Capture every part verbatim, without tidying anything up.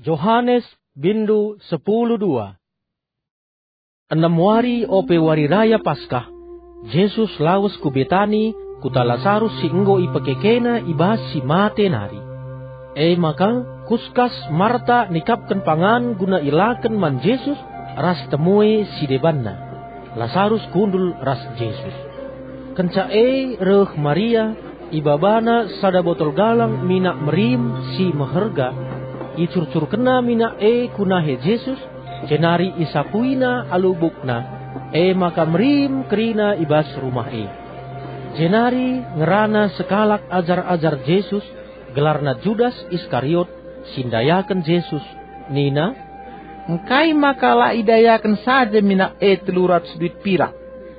Johanes, bindu sepuluh dua. Enem wari ope wari raya Paskah, Jesus lawes ku Betani, kuta Lasarus si enggo ipekekena i bas si mate nari. E maka, kuskas Marta nikapken pangan guna ilaken man Jesus ras temue si debanna. Lasarus kundul ras Jesus. Kenca e reh Maria, ibabana sada botol galang minak merim si meherga, icurcurkenna minak e ku nahe Jesus, jenari isapuina alu bukna, e maka merim kerina i bas rumah e. Jenari ngerana sekalak ajar-ajar Jesus, gelarna Judas Iskariot, si ndayaken Jesus, nina, "Engkai maka la idayaken saja minak e telu ratus duit pirak,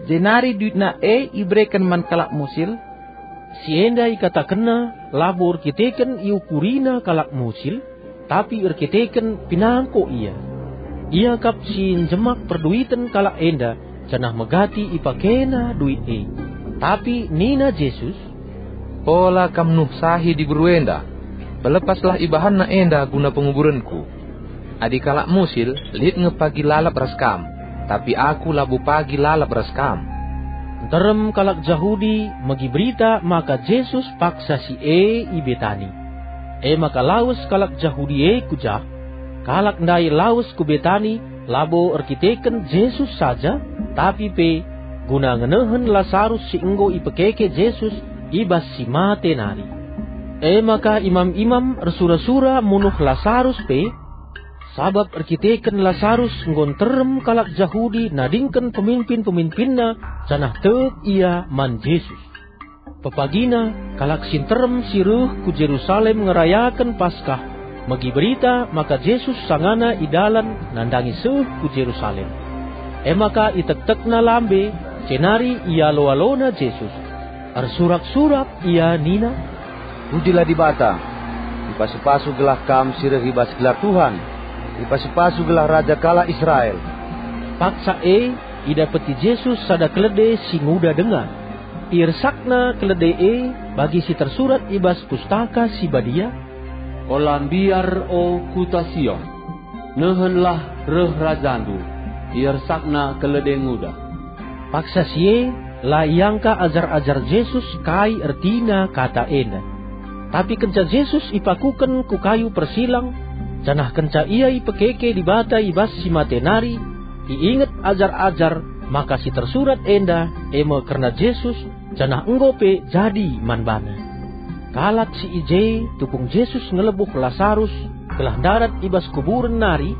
jenari duitna e ibereken man kalak musil?" Si enda ikatakenna labo erkiteken iukurina kalak musil, tapi erkiteken pinangko ia. Ia kap si njemak perduiten kalak enda, janah megati ipakena duit e. Tapi nina Jesus, "Ola kam nuhsahi diberu enda. Pelepaslah ibahanna enda guna penguburenku. Adi kalak musil, lit nge pagi lalap ras kam, tapi aku labo pagi lalap ras kam." Nterem kalak Jahudi megi berita maka Jesus paksa si e i Betani. E maka lawes kalak Jahudi e ku jah. Kalak ndai lawes ku Betani labo erkiteken Jesus saja, tapi pe guna ngenehen Lasarus si enggo ipekeke Jesus i bas si mate nari. E maka imam-imam ersura-sura munuh Lasarus pe, sabap erkiteken Lasarus enggo nterem kalak Jahudi nadingken peminpin-peminpinna, janah tek ia man Jesus. Pepagina, kalak si nterem si reh ku Jerusalem ngerayaken Paskah, megi berita maka Jesus sangana i dalan nandangi seh ku Jerusalem. E maka itektekna lambe, jenari ialo-alona Jesus. Ersurak-surak ia nina, "Pujilah Dibata! Ipasu-pasu gelah Kam si reh i bas gelar Tuhan! Ipasu-pasu gelah Raja kalak Israel!" Paksa e idapeti Jesus sada kelede si nguda denga. Iersakna kelede e bagi si tersurat i bas Pustaka Si Badia, "Ola mbiar, o kuta Sion! Nehenlah, reh Rajandu, iersakna kelede nguda." Paksa si e, la iangka ajar-ajar Jesus kai ertina kata enda. Tapi kenca Jesus ipakuken ku kayu persilang, janah kenca Ia ipekeke Dibata i bas si mate nari, iinget ajar-ajar maka si tersurat enda e me kerna Jesus, janah enggo pe jadi man bana. Kalak si i je tupung Jesus ngelebuh Lasarus gelah ndarat i bas kuburen nari,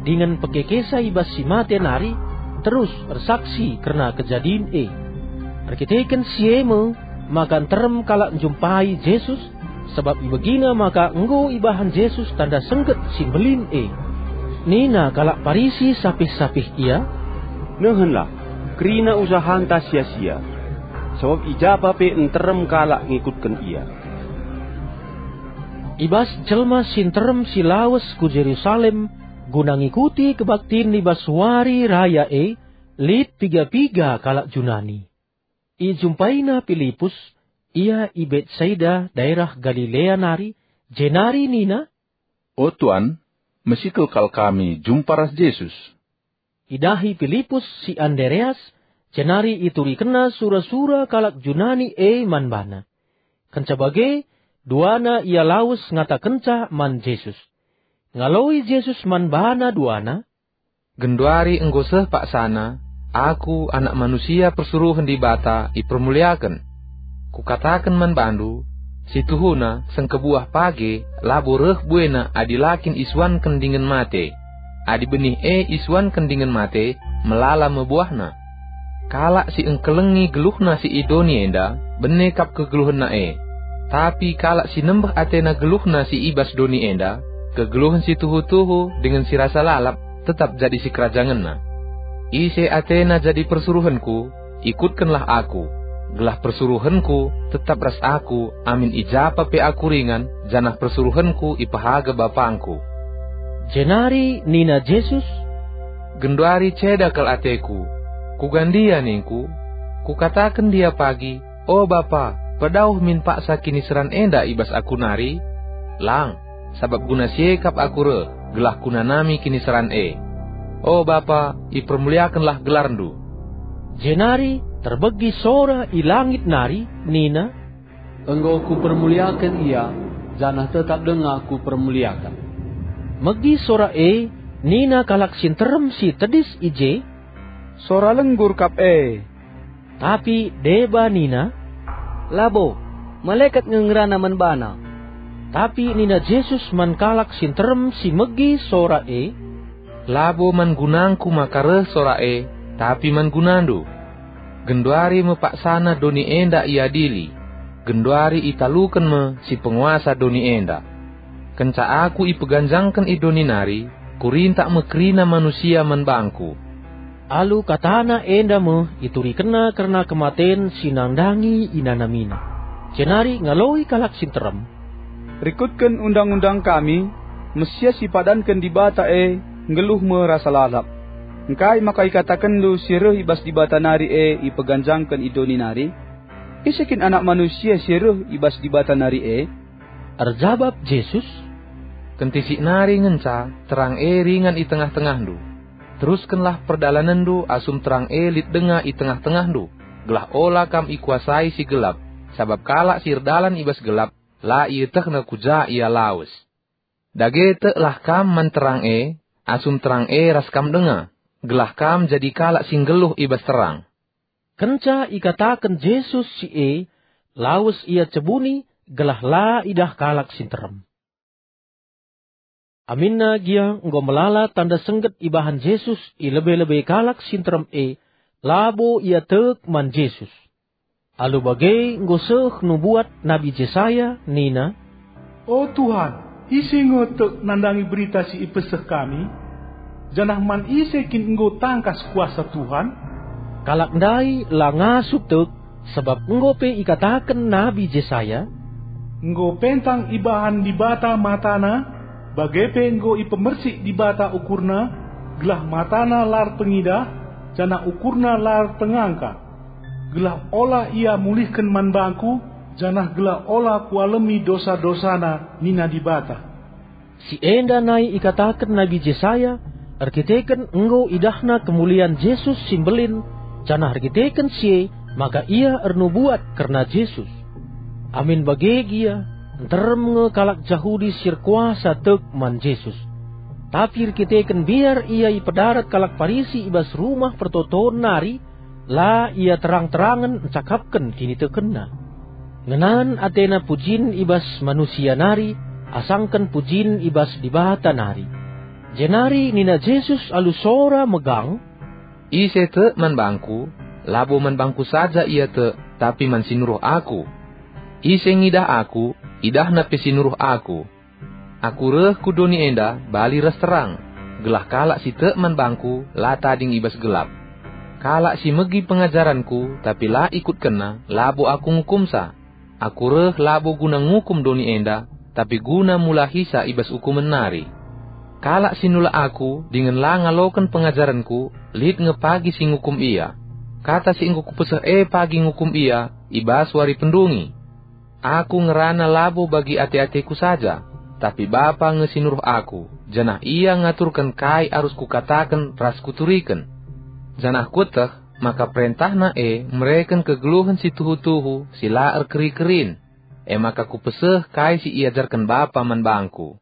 dingen pekekesa i bas si mate nari, terus ersaksi kerna kejadin e. Erkiteken si e me maka nterem kalak njumpai Jesus, sabap ibegina maka enggo ibahan Jesus tanda sengget si mbelin e. Nina kalak Parisi sapih-sapih ia, "Nehenlah, kerina usahanta sia-sia, sabap i japa pe nterem kalak ngikutken Ia." I bas jelma si nterem si lawes ku Jerusalem guna ngikuti kebaktin i bas wari raya e, lit piga-piga kalak Junani. Ijumpaina Pilipus, ia i Betsaida, daerah Galilea nari, jenari nina, "O Tuan, mesikel kal kami jumpa ras Jesus." Idahi Pilipus si Andreas, jenari iturikenna sura-sura kalak Junani e man bana. Kenca bage, duana ia lawes ngatakenca man Jesus. Ngaloi Jesus man bana duana, "Genduari enggo seh paksana, Aku, Anak Manusia, persuruhen Dibata ipermuliaken. Kukataken man bandu, si tuhuna sengkebuah page labo reh buena adi la kin isuanken dingen mate. Adi benih e isuanken dingen mate, melala me buahna. Kalak si engkelengi geluhna si i doni enda, bene kap kegeluhenna e. Tapi kalak si nembeh atena geluhna si i bas doni enda, kegeluhen si tuhu-tuhu dingen si rasa lalap, tetap jadi sikerajangenna. Ise atena jadi persuruhenKu, ikutkenlah Aku, gelah persuruhenKu tetap ras Aku amin i japa pe Aku ringan, janah persuruhenKu ipehaga BapangKu." Jenari nina Jesus, "Genduari ceda kal ateKu. Kuga ndia ningKu? Kukataken ndia pagi, 'O Bapa, pedauh min paksa kiniseran enda i bas Aku nari'? Lang, sabap guna si e kap Aku reh. gelah kunanami kiniseran e. O Bapa, ipermuliakenlah gelarNdu." Jenari terbegi sora i langit nari nina, "Enggo Kupermuliaken Ia, janah tetap denga Kupermuliaken." Megi sora e, nina kalak si nterem si tedis i je, "Sora lenggur kap e." Tapi deba nina, "Labo, malekat nge ngerana man bana." Tapi nina Jesus man kalak si nterem si megi sora e, "Labo man gunangKu maka reh sora e, tapi man gunandu. Genduari me paksana doni enda iadili, genduari italuken me si penguasa doni enda. Kenca Aku ipeganjangken i doni nari, Kurintak me kerina manusia man bangKu." Alu katana enda me iturikenna kerna kematen si nandangi inanamina. Jenari ngaloi kalak si nterem, "Rikutken undang-undang kami, Mesias si ipadanken Dibata e nggeluh me rasa lalap. Engkai maka ikatakenndu si reh i bas Dibata nari e ipeganjangken i doni nari? Ise kin Anak Manusia si reh i bas Dibata nari e?" Erjabap Jesus, "Kentisik nari ngenca terang e ringan i tengah-tengahndu. Teruskenlah perdalanenndu asum terang e lit denga i tengah-tengahndu, gelah ola kam ikuasai si gelap, sabap kalak si erdalan i bas gelap la ietehna ku ja ia lawes. Dage teklah kam man terang e, asum terang e ras kam denga, gelah kam jadi kalak si nggeluh i bas terang." Kenca ikataken Jesus si e, lawes ia cebuni gelah la idah kalak si nterem. Aminna gia enggo melala tanda sengget ibahan Jesus i lebe-lebe kalak si nterem e, labo ia tek man Jesus. Alu bage enggo seh nubuat Nabi Jesaya nina, "O Tuhan, ise nge tek nandangi berita si ipeseh kami? Janah man ise kin enggo tangkas kuasa Tuhan?" Kalak ndai la ngasup tek, sabap enggo pe ikataken Nabi Jesaya, "Enggo pentang ibahan Dibata matana, bage pe enggo ipemersik Dibata ukurna, gelah matana la erpengidah, janah ukurna la erpengangka. Gelah ola ia mulihken man bangKu, janah gelah ola Kualemi dosa-dosana," nina Dibata. Si enda nai ikataken Nabi Jesaya erkiteken enggo idahna kemulian Jesus si mbelin, janah erkiteken si e maka ia ernubuat kerna Jesus. Amin bage gia, nterem nge kalak Jahudi si erkuasa tek man Jesus. Tapi erkiteken mbiar ia ipedarat kalak Parisi i bas Rumah Pertoton nari, la ia terang-terangen ncakapken kinitekenna. Ngenan atena pujin i bas manusia nari asangken pujin i bas Dibata nari. Jenari nina Jesus alu sora megang, "Ise tek man bangKu, labo man bangKu saja ia tek, tapi man si nuruh Aku. Ise ngidah Aku, idahna pe si nuruh Aku. Aku reh ku doni enda bali ras terang, gelah kalak si tek man bangKu la tading i bas gelap. Kalak si megi pengajarenKu tapi la ikutkenna, labo Aku ngukumsa. Aku reh labo guna ngukum doni enda, tapi guna mulahisa i bas ukumen nari. Kalak si nulak Aku dingen la ngaloken pengajarenKu, lit nge pagi si ngukum ia. Kata si enggo Kupeseh e pagi ngukum ia i bas wari pendungi. Aku ngerana labo bagi ate-ateKu saja, tapi Bapa nge si nuruh Aku, janah Ia ngaturken kai arus Kukataken ras Kuturiken. Janah Kueteh maka perentahNa e mereken kegeluhen si tuhu-tuhu si la erkeri-kerin, e maka Kupeseh kai si iajarken Bapa man bangKu.